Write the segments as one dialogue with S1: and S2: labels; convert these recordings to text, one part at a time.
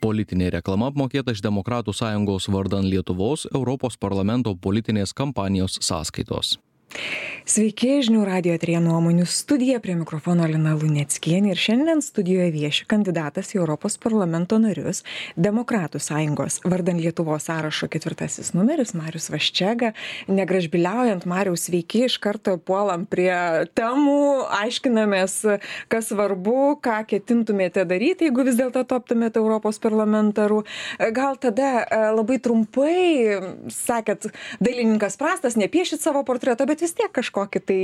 S1: Politinė reklama apmokėta iš Demokratų sąjungos vardan Lietuvos Europos parlamento politinės kampanijos sąskaitos.
S2: Sveiki, žinių radijo eteryje nuomonių studija, prie mikrofono Lina Luneckienė ir šiandien studijoje vieši kandidatas į Europos parlamento narius, Demokratų sąjungos vardan Lietuvos sąrašo 4 numeris Marius Vaščega. Negražbiliaujant, Mariaus, sveiki, iš karto puolam prie temų, aiškinamės, kas svarbu, ką ketintumėte daryti, jeigu vis dėlto taptumėte Europos parlamentaru. Gal tada labai trumpai, sakėt, dailininkas prastas, nepiešit savo portretą, bet vis tiek kažkokį tai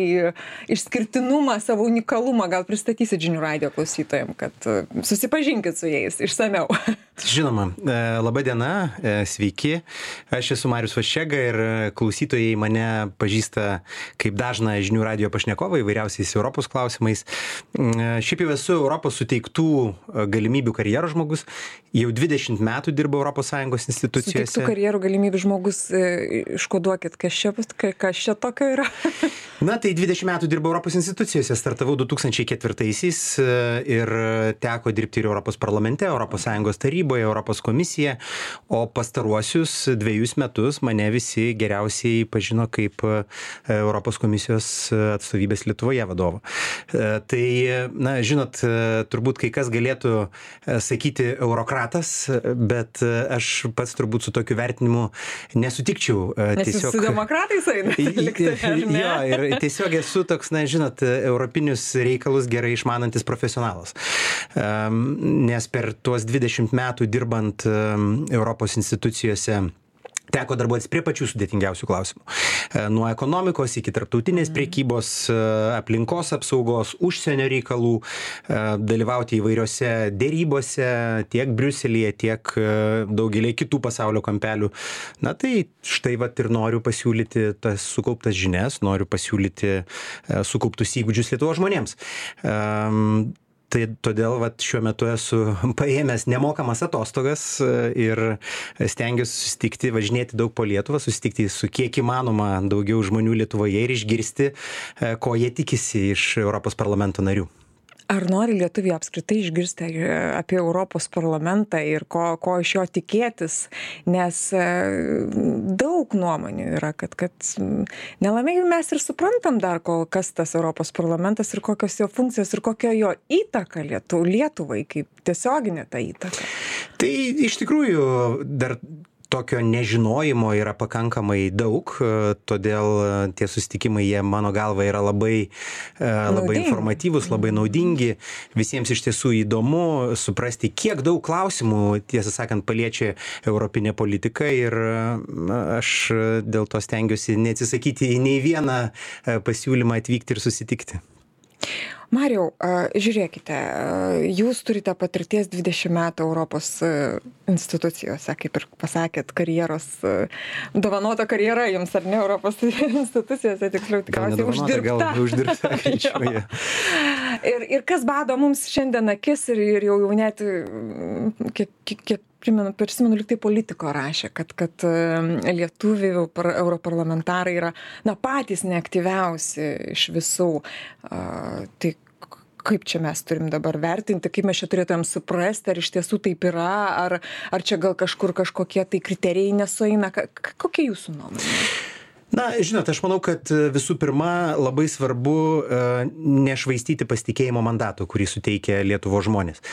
S2: išskirtinumą, savo unikalumą gal pristatysit žinių radijo klausytojams, kad susipažinkit su jais išsameu.
S3: Žinoma, laba diena, sveiki. Aš esu Marius Vaščega ir klausytojai mane pažįsta kaip dažną žinių radijo pašnekovą įvairiausiais Europos klausimais. Šiaip jau esu Europos suteiktų galimybių karjeros žmogus. Jau 20 metų dirbu Europos Sąjungos institucijose.
S2: Suteiktų karjerų galimybių žmogus, iškoduokit, kas čia tokio yra?
S3: Na, tai 20 metų dirbau Europos institucijose, startavau 2004-aisiais ir teko dirbti ir Europos parlamente, Europos Sąjungos taryboje, Europos komisija, o pastaruosius 2 metus mane visi geriausiai pažino kaip Europos komisijos atstovybės Lietuvoje vadovo. Tai, na, žinot, turbūt kai kas galėtų sakyti eurokratas, bet aš pats turbūt su tokiu vertinimu nesutikčiau.
S2: Nes jūs su demokratais einate?
S3: Jo, ir tiesiog esu toks, na, žinot, europinius reikalus gerai išmanantis profesionalas. Nes per tuos 20 metų dirbant Europos institucijose teko darbuotis prie pačių sudėtingiausių klausimų. Nuo ekonomikos iki tarptautinės prekybos, aplinkos apsaugos, užsienio reikalų, dalyvauti įvairiose dėrybose tiek Briuselyje, tiek daugelį kitų pasaulio kampelių. Na tai štai vat ir noriu pasiūlyti tas sukauptas žinias, noriu pasiūlyti sukauptus įgūdžius Lietuvos žmonėms. Tai todėl šiuo metu esu paėmęs nemokamas atostogas ir stengiuosi susitikti, važinėti daug po Lietuvą, susitikti su kiek įmanoma daugiau žmonių Lietuvoje ir išgirsti, ko jie tikisi iš Europos parlamento narių.
S2: Ar nori lietuviai apskritai išgirsti apie Europos parlamentą ir ko iš jo tikėtis, nes daug nuomonių yra, kad nelabai mes ir suprantam dar kol kas tas Europos parlamentas ir kokios jo funkcijos ir kokia jo įtaka Lietuvai, kaip tiesioginė ta įtaka.
S3: Tai iš tikrųjų dar tokio nežinojimo yra pakankamai daug, todėl tie susitikimai, jie mano galva yra labai informatyvus, labai naudingi. Visiems iš tiesų įdomu suprasti, kiek daug klausimų, tiesą sakant, paliečia europinė politika ir aš dėl to stengiuosi neatsisakyti į nei vieną pasiūlymą atvykti ir susitikti.
S2: Mariau, žiūrėkite, jūs turite patirties 20 metų Europos institucijose, kaip ir pasakėt, karjeros, dovanota karjera jums, ar ne, Europos institucijose, tiksliau, tikriausiai uždirbta. Ir kas bado mums šiandien akis ir jau net, kiek prisimenu, lyg tai Politico rašė, kad lietuvių europarlamentarai yra patys neaktyviausi iš visų. Tai kaip čia mes turim dabar vertinti, kaip mes čia turėtumėm suprasti, ar iš tiesų taip yra, ar čia gal kažkokie tai kriterijai nesueina. Kokia jūsų nuomonė?
S3: Na, žinot, aš manau, kad visų pirma labai svarbu nešvaistyti pasitikėjimo mandato, kurį suteikia Lietuvos žmonės.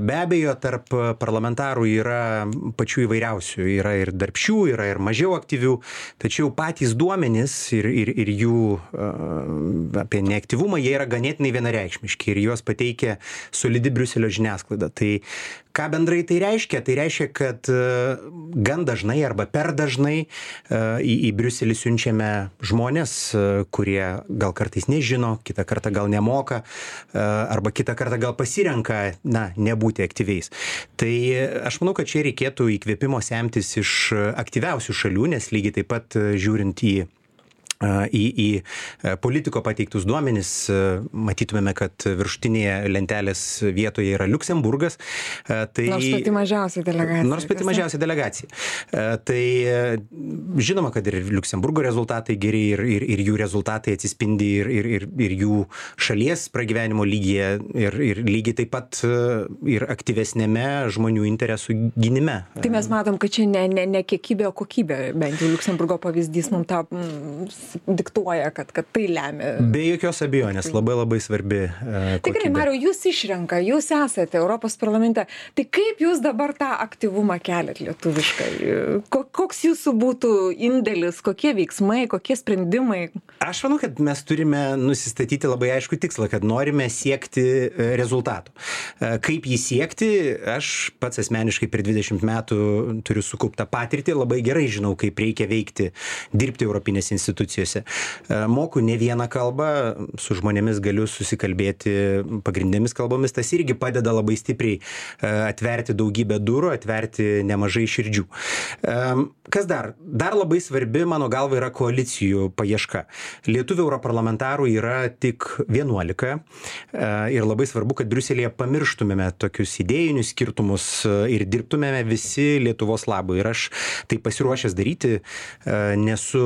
S3: Be abejo, tarp parlamentarų yra pačių įvairiausių, yra ir darbščių, yra ir mažiau aktyvių, tačiau patys duomenys ir jų apie neaktyvumą, jie yra ganėtinai vienareikšmiški ir juos pateikia solidi Briuselio žiniasklaida. Tai ką bendrai tai reiškia? Tai reiškia, kad gan dažnai arba per dažnai į Briuselį siunčiame žmonės, kurie gal kartais nežino, kitą kartą gal nemoka, arba kitą kartą gal pasirenka, nebūti aktyviais. Tai aš manau, kad čia reikėtų įkvėpimo semtis iš aktyviausių šalių, nes lygiai taip pat žiūrint į į politiko pateiktus duomenis, matytumėme, kad viršutinėje lentelės vietoje yra Liuksemburgas.
S2: Nors pati mažiausia delegacija.
S3: Tai žinoma, kad ir Liuksemburgo rezultatai geri ir jų rezultatai atsispindi ir jų šalies pragyvenimo lygyje ir lygiai taip pat ir aktyvesnėme žmonių interesų gynime.
S2: Tai mes matom, kad čia ne kiekybė, o kokybė, bent jau Liuksemburgo pavyzdys mums tą diktuoja, kad tai lemia.
S3: Be jokios abejonės, labai svarbi kokybė.
S2: Tikrai, Mariau, jūs išrenka, jūs esate Europos parlamente. Tai kaip jūs dabar tą aktyvumą keliat lietuviškai? Koks jūsų būtų indėlis, kokie veiksmai, kokie sprendimai?
S3: Aš manau, kad mes turime nusistatyti labai aišku tikslą, kad norime siekti rezultatų. Kaip jį siekti, aš pats asmeniškai per 20 metų turiu sukauptą patirtį, labai gerai žinau, kaip reikia veikti, dirbti Europinės institucijose. Moku ne vieną kalbą, su žmonėmis galiu susikalbėti pagrindinėmis kalbomis, tas irgi padeda labai stipriai atverti daugybę durų, atverti nemažai širdžių. Kas dar? Dar labai svarbi, mano galva, yra koalicijų paieška. Lietuvių europarlamentarų yra tik 11 ir labai svarbu, kad Briuselėje pamirštumėme tokius idėjinius skirtumus ir dirbtumėme visi Lietuvos labui. Ir aš tai pasiruošęs daryti, nesu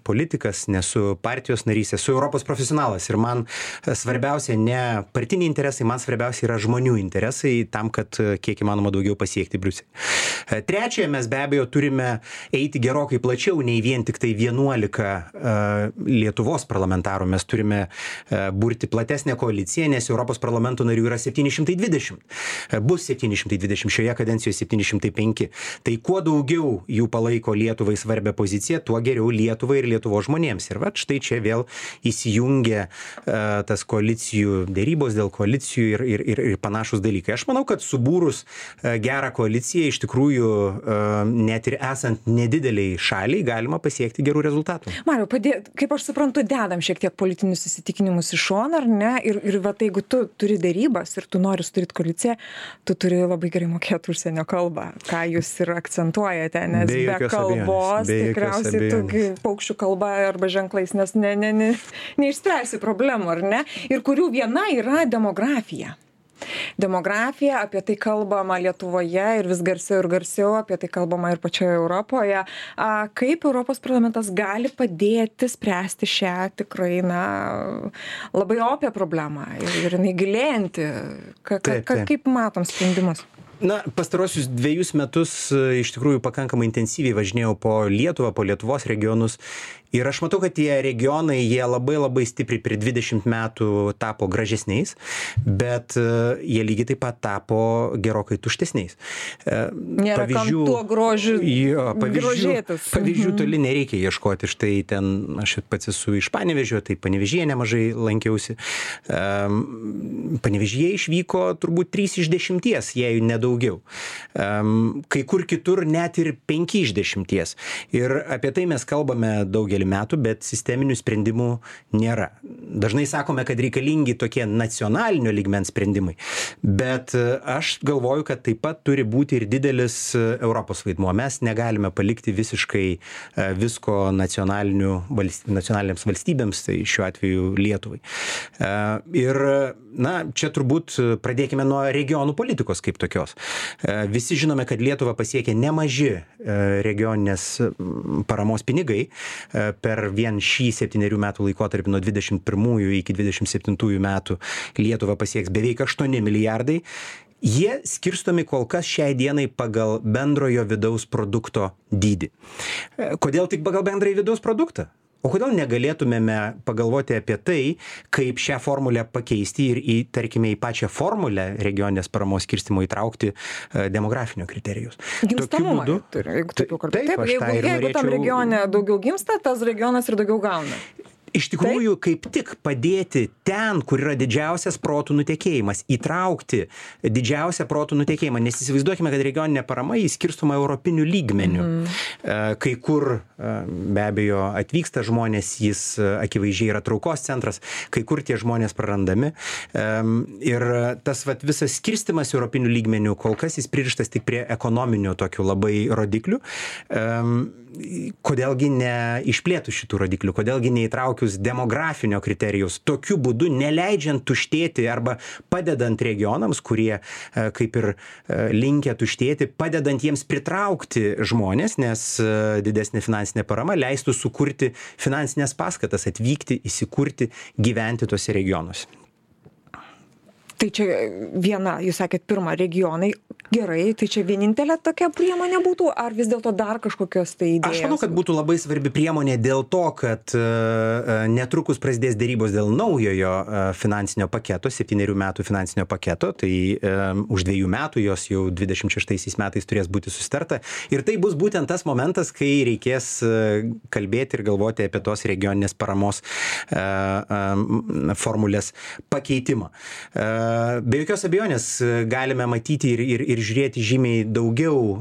S3: politikas, nesu partijos narys, esu Europos profesionalas ir man svarbiausia ne partiniai interesai, man svarbiausia yra žmonių interesai tam, kad kiek įmanoma daugiau pasiekti Briuselį. Trečia, mes be abejo turime eiti gerokai plačiau nei vien tik tai 11 Lietuvos parlamentarų. Mes turime burti platesnę koaliciją, nes Europos parlamento narių yra 720. Bus 720, šioje kadencijoje 705. Tai kuo daugiau jų palaiko Lietuvai svarbią poziciją, tuo geriau Lietuvai ir Lietuvos žmonėms. Ir štai čia vėl įsijungia tas koalicijų dėrybos dėl koalicijų ir panašus dalykai. Aš manau, kad subūrus gerą koaliciją iš tikrųjų net ir esant nedideliai šaliai galima pasiekti gerų rezultatų.
S2: Mariau, kaip aš suprantu, dedam šiek tiek politinius įsitikinimus į šoną, ar ne? Ir jeigu tu turi dėrybas ir tu nori sudaryti koaliciją, tu turi labai gerai mokėti užsienio kalbą, ką jūs ir akcentuojate, nes be kalbos tikriausiai tu paukščių kalba arba ženklais, nes neišspręsi problemų, ar ne? Ir kurių viena yra demografija. Demografija, apie tai kalbama Lietuvoje ir vis garsiau, apie tai kalbama ir pačioje Europoje. Kaip Europos parlamentas gali padėti spręsti šią tikrai, labai opią problemą ir jinai gilėjanti? Kaip matom sprendimus?
S3: Pastarosius 2 metus iš tikrųjų pakankamai intensyviai važinėjau po Lietuvą, po Lietuvos regionus. Ir aš matau, kad tie regionai, jie labai stipriai per 20 metų tapo gražesniais, bet jie lygiai taip pat tapo gerokai tuštesniais.
S2: Nėra kam tuo grožiu grožėtis.
S3: Pavyzdžių toli nereikia ieškoti. Štai ten, aš pats esu iš Panevėžio, tai Panevėžyje nemažai lankiausi. Panevėžyje išvyko turbūt 3 iš 10, jei nedaugiau. Kai kur kitur net ir 5 iš 10. Ir apie tai mes kalbame daugelį metų, bet sisteminių sprendimų nėra. Dažnai sakome, kad reikalingi tokie nacionalinio lygmens sprendimai, bet aš galvoju, kad taip pat turi būti ir didelis Europos vaidmuo. Mes negalime palikti visiškai visko nacionalinėms valstybėms, tai šiuo atveju Lietuvai. Ir čia turbūt pradėkime nuo regionų politikos kaip tokios. Visi žinome, kad Lietuva pasiekė nemaži regioninės paramos pinigai. Per vien šį 7 metų laikotarpį nuo 21 iki 27 metų Lietuva pasieks beveik 8 milijardai. Jie skirstomi kol kas šiai dienai pagal bendrojo vidaus produkto dydį. Kodėl tik pagal bendrąjį vidaus produktą? O kodėl negalėtumėme pagalvoti apie tai, kaip šią formulę pakeisti ir tarkime į pačią formulę regioninės paramos skirstymo įtraukti demografinio kriterijus?
S2: Gimstamumą turi, jeigu taip jau kalbėti. Jeigu tam regione daugiau gimsta, tas regionas ir daugiau gauna.
S3: Iš tikrųjų, kaip tik padėti ten, kur yra didžiausias protų nutekėjimas, įtraukti didžiausią protų nutekėjimą, nes įsivaizduokime, kad regioninė parama įskirstoma europiniu lygmeniu. Kai kur be abejo atvyksta žmonės, jis akivaizdžiai yra traukos centras, kai kur tie žmonės prarandami. Ir tas visas skirstimas europiniu lygmeniu, kol kas jis pririštas tik prie ekonominių tokių labai rodiklių. Kodėlgi neišplėtų šitų rodiklių, kodėlgi neįtraukius demografinio kriterijaus, tokiu būdu neleidžiant tuštėti arba padedant regionams, kurie kaip ir linkę tuštėti, padedant jiems pritraukti žmonės, nes didesnė finansinė parama leistų sukurti finansinės paskatas, atvykti, įsikurti, gyventi tuose regionuose.
S2: Tai čia viena, jūs sakėt, pirma, regionai, gerai, tai čia vienintelė tokia priemonė būtų, ar vis dėlto dar kažkokios tai idėjos?
S3: Aš manau, kad būtų labai svarbi priemonė dėl to, kad netrukus prasidės dėrybos dėl naujojo finansinio paketo, 7 metų finansinio paketo, tai už 2 metų jos jau 26 metais turės būti susitarta. Ir tai bus būtent tas momentas, kai reikės kalbėti ir galvoti apie tos regioninės paramos formulės pakeitimą. Be jokios abejonės galime matyti ir žiūrėti žymiai daugiau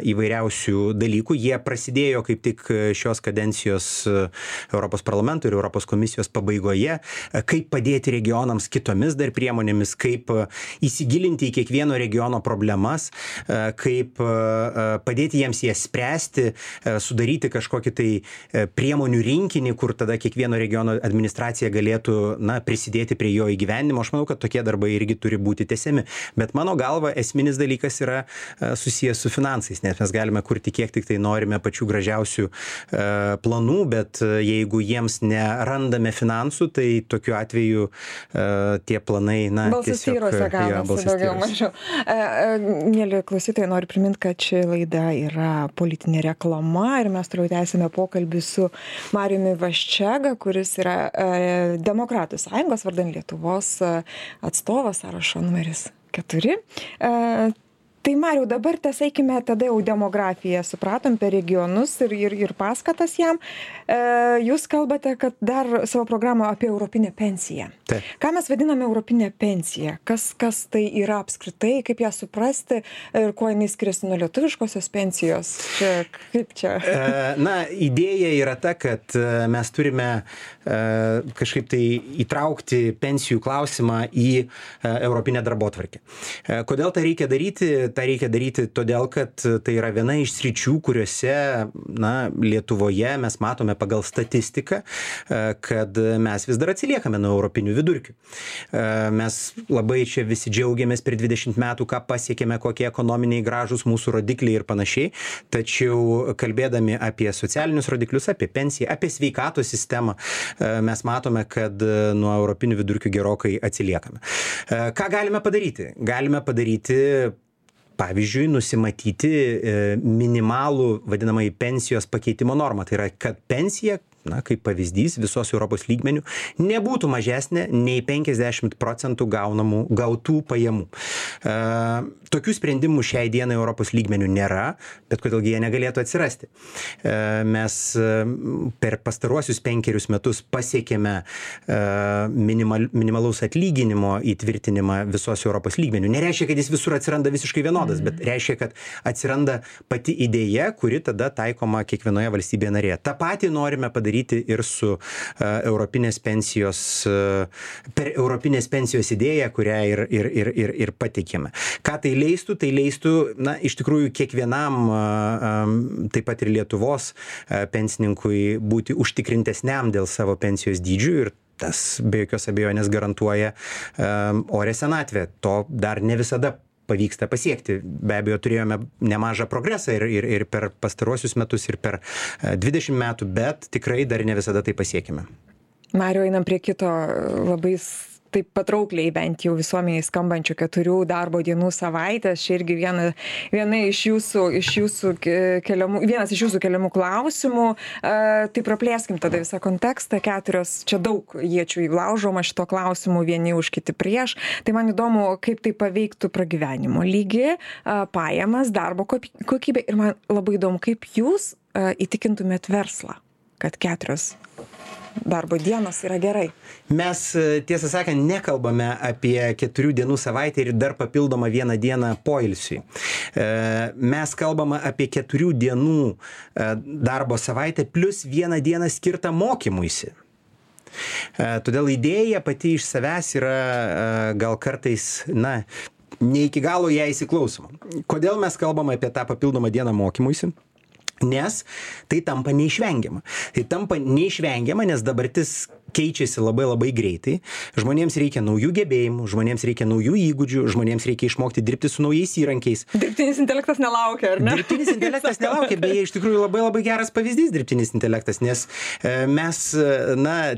S3: įvairiausių dalykų. Jie prasidėjo kaip tik šios kadencijos Europos parlamento ir Europos komisijos pabaigoje. Kaip padėti regionams kitomis dar priemonėmis, kaip įsigilinti į kiekvieno regiono problemas, kaip padėti jiems jas spręsti, sudaryti kažkokį tai priemonių rinkinį, kur tada kiekvieno regiono administracija galėtų prisidėti prie jo įgyvendinimo. Aš manau, kad tokie darbai irgi turi būti tęsiami. Bet mano galva esminis dalykas yra susijęs su finansais, nes mes galime kurti kiek tik tai norime pačių gražiausių planų, bet jeigu jiems nerandame finansų, tai tokiu atveju tie planai,
S2: balsas tyrose gaunasi daugiau mažiau. Mėly klausytojai, noriu priminti, kad ši laida yra politinė reklama ir mes toliau tęsime pokalbį su Mariumi Vaščega, kuris yra Demokratų sąjungos vardan Lietuvos atstovas, sąrašo numeris 4. Tai Mariau, dabar eikime tada jau demografiją, supratom per regionus ir paskatas jam. Jūs kalbate, kad dar savo programą apie europinę pensiją.
S3: Taip.
S2: Ką mes vadiname europinę pensiją? Kas tai yra apskritai, kaip ją suprasti ir kuo jinai skiriasi nuo lietuviškosios pensijos? Kaip čia?
S3: Idėja yra ta, kad mes turime kažkaip tai įtraukti pensijų klausimą į europinę darbotvarkę. Kodėl tai reikia daryti? Tai reikia daryti todėl, kad tai yra viena iš sričių, kuriuose Lietuvoje mes matome pagal statistiką, kad mes vis dar atsiliekame nuo europinių vidurkių. Mes labai čia visi džiaugiamės per 20 metų, ką pasiekėme, kokie ekonominiai gražūs mūsų rodikliai ir panašiai, tačiau kalbėdami apie socialinius rodiklius, apie pensiją, apie sveikatos sistemą, mes matome, kad nuo europinių vidurkių gerokai atsiliekame. Ką galime padaryti? Galime padaryti, pavyzdžiui, nusimatyti minimalų vadinamąjį pensijos pakeitimo normą. Tai yra, kad pensija, kaip pavyzdys, visos Europos lygmenių nebūtų mažesnė nei 50% gautų pajamų. Tokių sprendimų šiai dienai Europos lygmenių nėra, bet kodėlgi jie negalėtų atsirasti. Mes per pastaruosius 5 metus pasiekėme minimalaus atlyginimo įtvirtinimą visos Europos lygmenių. Nereiškia, kad jis visur atsiranda visiškai vienodas, bet reiškia, kad atsiranda pati idėja, kuri tada taikoma kiekvienoje valstybėje narėje. Ta patį norime padaryti ir su europinės pensijos, per europinės pensijos idėją, kurią ir pateikėme. Ką tai leistų? Tai leistų, iš tikrųjų, kiekvienam, taip pat ir Lietuvos pensininkui būti užtikrintesniam dėl savo pensijos dydžių ir tas be jokios abejonės garantuoja orią senatvę. To dar ne visada pavyksta pasiekti. Be abejo, turėjome nemažą progresą ir per pastaruosius metus, ir per 20 metų, bet tikrai dar ne visada tai pasiekime.
S2: Mariau, einam prie kito labai taip patraukliai bent jau visuomeniai skambančių 4 darbo dienų savaitės. Čia irgi vienas iš jūsų keliamų klausimų. Tai praplėskim tada visą kontekstą. 4, čia daug iečių įlaužoma šito klausimu, vieni už kiti prieš. Tai man įdomu, kaip tai paveiktų pragyvenimo lygį, pajamas, darbo kokybę. Ir man labai įdomu, kaip jūs įtikintumėt verslą, kad 4 darbo dienos yra gerai?
S3: Mes, tiesą sakant, nekalbame apie 4 dienų savaitę ir dar papildomą 1 dieną poilsiui. Mes kalbame apie 4 dienų darbo savaitę plus 1 dieną skirtą mokymuisi. Todėl idėja pati iš savęs yra gal kartais, ne iki galo ją įsiklausoma. Kodėl mes kalbame apie tą papildomą dieną mokymuisi? Nes tai tampa neišvengiama. Tai tampa neišvengiama, nes dabartis keičiasi labai labai greitai. Žmonėms reikia naujų gebėjimų, žmonėms reikia naujų įgūdžių, žmonėms reikia išmokti dirbti su naujais įrankiais.
S2: Dirbtinis intelektas nelaukia, ar ne?
S3: Dirbtinis intelektas nelaukia, beje, iš tikrųjų labai labai geras pavyzdys dirbtinis intelektas, nes mes,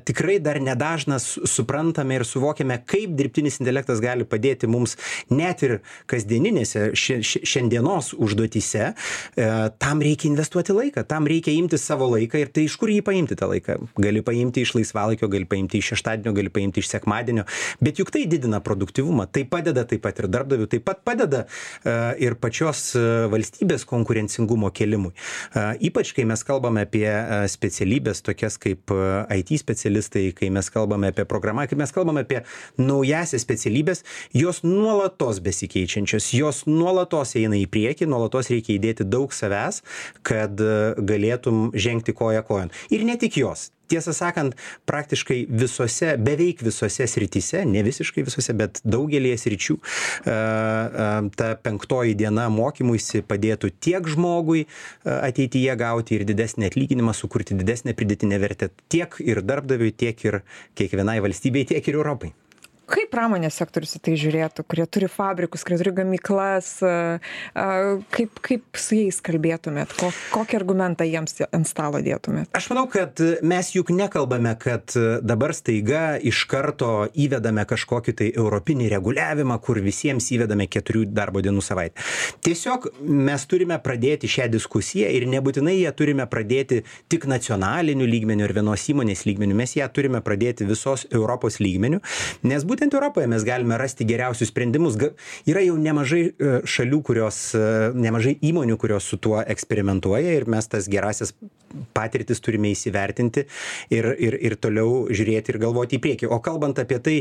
S3: tikrai dar nedažnas suprantame ir suvokiame, kaip dirbtinis intelektas gali padėti mums net ir kasdieninėse šiandienos užduotyse. Tam reikia investuoti laiką, tam reikia imti savo laiką ir tai iš kur jį paimti tą laiką? Gali paimti iš laisvalaikio, gali paimti iš šeštadienio, gali paimti iš sekmadienio, bet juk tai didina produktyvumą, tai padeda taip pat ir darbdavių, taip pat padeda ir pačios valstybės konkurencingumo kelimui. Ypač, kai mes kalbame apie specialybės tokias kaip IT specialistai, kai mes kalbame apie programą, kai mes kalbame apie naujasias specialybės, jos nuolatos besikeičiančios, jos nuolatos eina į priekį, nuolatos reikia įdėti daug savęs, kad galėtum žengti koja kojon. Ir ne tik jos. Tiesą sakant, praktiškai visose, beveik visose srityse, ne visiškai visose, bet daugelėje sričių, ta 5 diena mokymuisi padėtų tiek žmogui ateityje gauti ir didesnį atlyginimą, sukurti didesnę pridėtinę vertę tiek ir darbdaviui, tiek ir kiekvienai valstybei, tiek ir Europai.
S2: Kaip pramonės sektorius į tai žiūrėtų, kurie turi fabrikus, kurie turi gamyklas, kaip su jais kalbėtumėt, kokį argumentą jiems ant stalo dėtumėt?
S3: Aš manau, kad mes juk nekalbame, kad dabar staiga iš karto įvedame kažkokį tai europinį reguliavimą, kur visiems įvedame 4 darbo dienų savaitę. Tiesiog mes turime pradėti šią diskusiją ir nebūtinai ją turime pradėti tik nacionaliniu lygmeniu ar vienos įmonės lygmeniu, mes ją turime pradėti visos Europos lygmeniu, nes būtent Europoje mes galime rasti geriausius sprendimus. Yra jau nemažai šalių, nemažai įmonių, kurios su tuo eksperimentuoja ir mes tas gerasias patirtis turime įsivertinti ir toliau žiūrėti ir galvoti į priekį. O kalbant apie tai,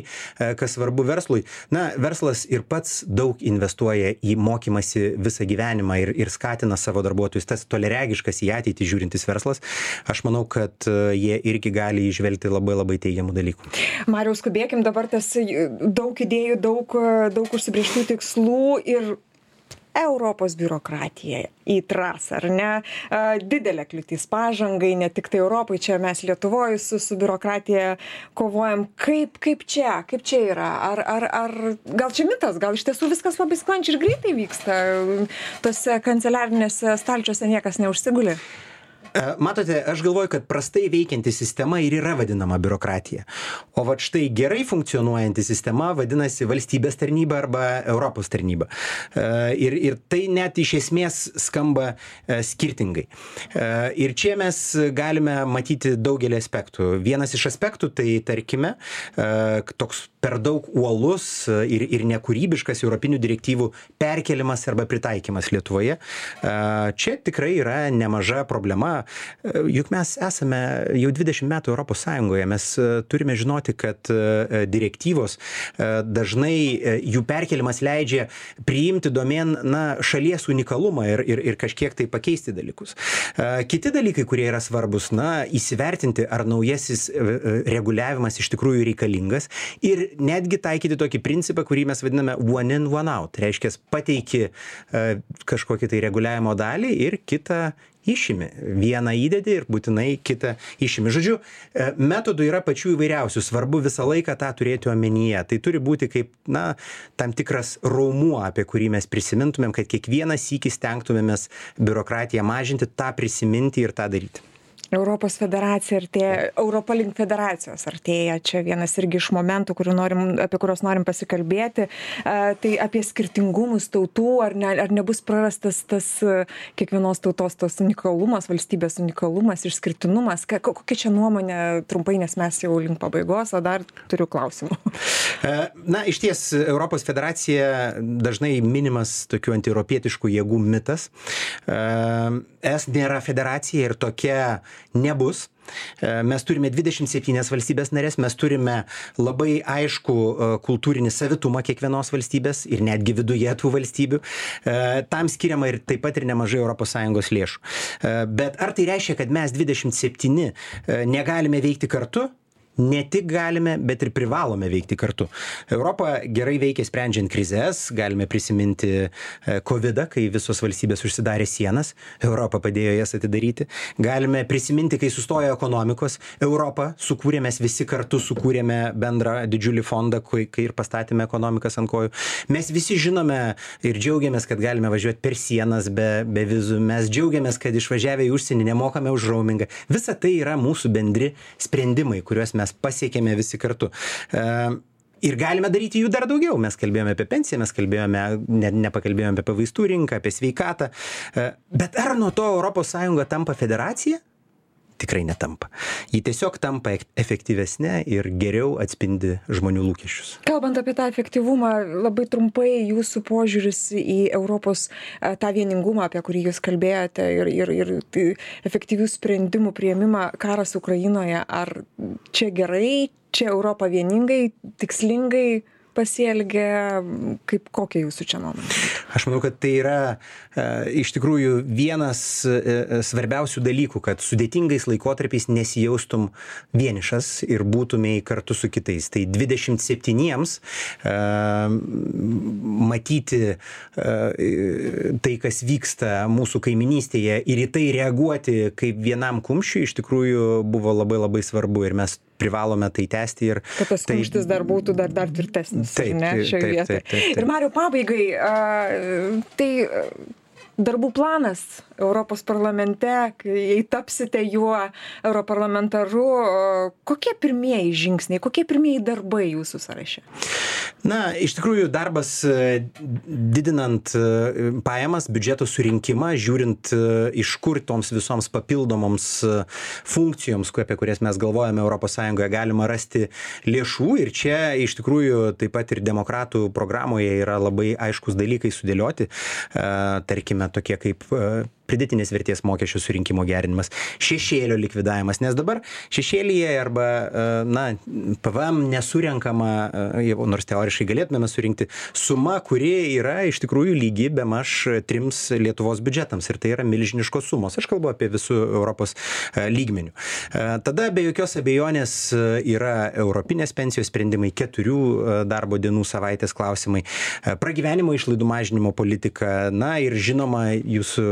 S3: kas svarbu verslui, verslas ir pats daug investuoja į mokymasi visą gyvenimą ir skatina savo darbuotojus. Tas toleregiškas į ateitį žiūrintis verslas, aš manau, kad jie irgi gali įžvelgti labai labai teigiamų dalykų.
S2: Mariau, skubėkim, dabar tas daug idėjų, daug užsibrėžtų tikslų ir Europos biurokratija į trasą, ar ne? Didelė kliūtis pažangai, ne tik tai Europai, čia mes Lietuvoje su biurokratija kovojam. Kaip čia yra? Ar gal čia mitas, gal iš tiesų viskas labai sklandžiai ir greitai vyksta? Tose kanceliarinėse stalčiuose niekas neužsiguli?
S3: Matote, aš galvoju, kad prastai veikianti sistema ir yra vadinama biurokratija. O vat štai gerai funkcionuojanti sistema vadinasi valstybės tarnyba arba Europos tarnyba. Ir tai net iš esmės skamba skirtingai. Ir čia mes galime matyti daugelį aspektų. Vienas iš aspektų, tai tarkime, toks per daug uolus ir nekūrybiškas europinių direktyvų perkelimas arba pritaikymas Lietuvoje. Čia tikrai yra nemaža problema. Juk mes esame jau 20 metų Europos Sąjungoje, mes turime žinoti, kad direktyvos dažnai jų perkelimas leidžia priimti domėn šalies unikalumą ir kažkiek tai pakeisti dalykus. Kiti dalykai, kurie yra svarbus, įsivertinti, ar naujasis reguliavimas iš tikrųjų reikalingas ir netgi taikyti tokį principą, kurį mes vadiname one in, one out. Reiškia, pateiki kažkokį tai reguliavimo dalį ir kitą išimi. Vieną įdedi ir būtinai kitą išimi. Žodžiu, metodų yra pačių įvairiausių. Svarbu visą laiką tą turėti omenyje. Tai turi būti kaip, tam tikras raumuo, apie kurį mes prisimintumėm, kad kiekvieną sykį stengtumėmės biurokratiją mažinti, tą prisiminti ir tą daryti.
S2: Europos federacija artėja, Europa link federacijos artėja. Čia vienas irgi iš momentų, apie kuriuos norim pasikalbėti. Tai apie skirtingumus tautų, ar nebus prarastas tas kiekvienos tautos tas unikalumas, valstybės unikalumas, išskirtinumas. Kokia čia nuomonė trumpai, nes mes jau link pabaigos, o dar turiu klausimų.
S3: Iš ties, Europos federacija dažnai minimas tokių antieuropietiškų jėgų mitas. Es nėra federacija ir tokia nebus. mes turime 27 valstybės narės, mes turime labai aišku kultūrinį savitumą kiekvienos valstybės ir netgi viduje tų valstybių. Tam skiriama ir taip pat ir nemažai ES lėšų. Bet ar tai reiškia, kad mes 27 negalime veikti kartu? Ne tik galime, bet ir privalome veikti kartu. Europa gerai veikia sprendžiant krizes, galime prisiminti COVID-ą, kai visos valstybės užsidarė sienas, Europa padėjo jas atidaryti. Galime prisiminti, kai sustojo ekonomikos, Europą sukūrėme, mes visi kartu sukūrėme bendrą didžiulį fondą, kai ir pastatėme ekonomikas ant kojų. Mes visi žinome ir džiaugiamės, kad galime važiuoti per sienas be vizų. Mes džiaugiamės, kad išvažiavę į užsienį nemokame už roamingą. Visa tai yra mūsų bendri sprendimai, kuriuos mes pasiekėme visi kartu. Ir galime daryti jų dar daugiau. Mes kalbėjome apie pensiją, mes nepakalbėjome apie vaistų rinką, apie sveikatą. Bet ar nuo to ES tampa federacija? Tikrai netampa. Ji tiesiog tampa efektyvesnė ir geriau atspindi žmonių lūkesčius.
S2: Kalbant apie tą efektyvumą, labai trumpai jūsų požiūris į Europos tą vieningumą, apie kurį jūs kalbėjote, ir efektyvių sprendimų priėmimą karas Ukrainoje. Ar čia gerai, čia Europa vieningai, tikslingai pasielgia, kokia jūsų čia nuomonė?
S3: Aš manau, kad tai yra iš tikrųjų vienas svarbiausių dalykų, kad sudėtingais laikotarpiais nesijaustum vienišas ir būtumei kartu su kitais. Tai 27-iems matyti tai, kas vyksta mūsų kaiminystėje ir į tai reaguoti kaip vienam kumščiui iš tikrųjų buvo labai labai svarbu ir mes privalome tai tęsti.
S2: Kad tas kumštis dar būtų dar tvirtesnis. Taip. Ir Mariau, pabaigai, tai darbų planas Europos parlamente, kai tapsite juo europarlamentaru, kokie pirmieji žingsniai, kokie pirmieji darbai jūsų sąraše?
S3: Na, iš tikrųjų darbas didinant pajamas, biudžeto surinkimą, žiūrint iš kur toms visoms papildomoms funkcijoms, apie kurias mes galvojame ES, galima rasti lėšų. Ir čia iš tikrųjų taip pat ir demokratų programoje yra labai aiškus dalykai sudėlioti, tarkime tokie kaip pridėtinės vertės mokesčių surinkimo gerinimas, šešėlio likvidavimas, nes dabar šešėlyje arba PVM nesurenkama, nors teoriškai galėtume surinkti suma, kuri yra iš tikrųjų lygi bemaž 3 Lietuvos biudžetams ir tai yra milžiniškos sumos. Aš kalbu apie visų Europos lygmenių. Tada be jokios abejonės yra europinės pensijos sprendimai, 4 darbo dienų savaitės klausimai, pragyvenimo išlaidų mažinimo politika, ir žinoma jūsų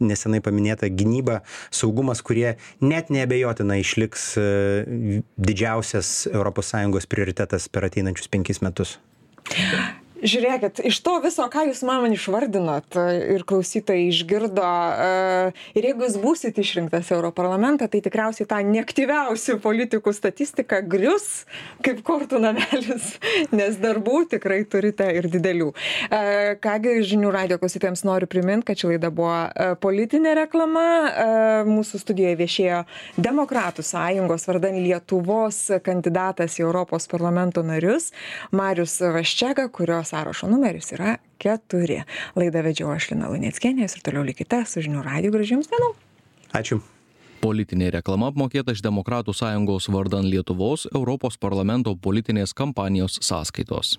S3: nesenai paminėta gynyba, saugumas, kurie net neabejotinai išliks didžiausias ES prioritetas per ateinančius 5 metus.
S2: Žiūrėkit, iš to viso, ką jūs man išvardinot ir klausytojai išgirdo, ir jeigu jūs būsit išrinktas Europarlamentą, tai tikriausiai tą neaktyviausių politikų statistiką grius kaip kortų namelis, nes darbų tikrai turite ir didelių. Kągi, žinių radijo klausytojams noriu priminti, kad ši laida buvo politinė reklama. Mūsų studijoje viešėjo Demokratų sąjungos vardan Lietuvos kandidatas į Europos parlamento narius Marius Vaščega, kurio sąrašo numeris yra 4. Laidą vedžiau aš Lina Luneckienė ir toliau likite su žinių radiju. Gražių jums dienų.
S3: Ačiū.
S1: Politinė reklama apmokėta iš Demokratų sąjungos vardan Lietuvos Europos parlamento politinės kampanijos sąskaitos.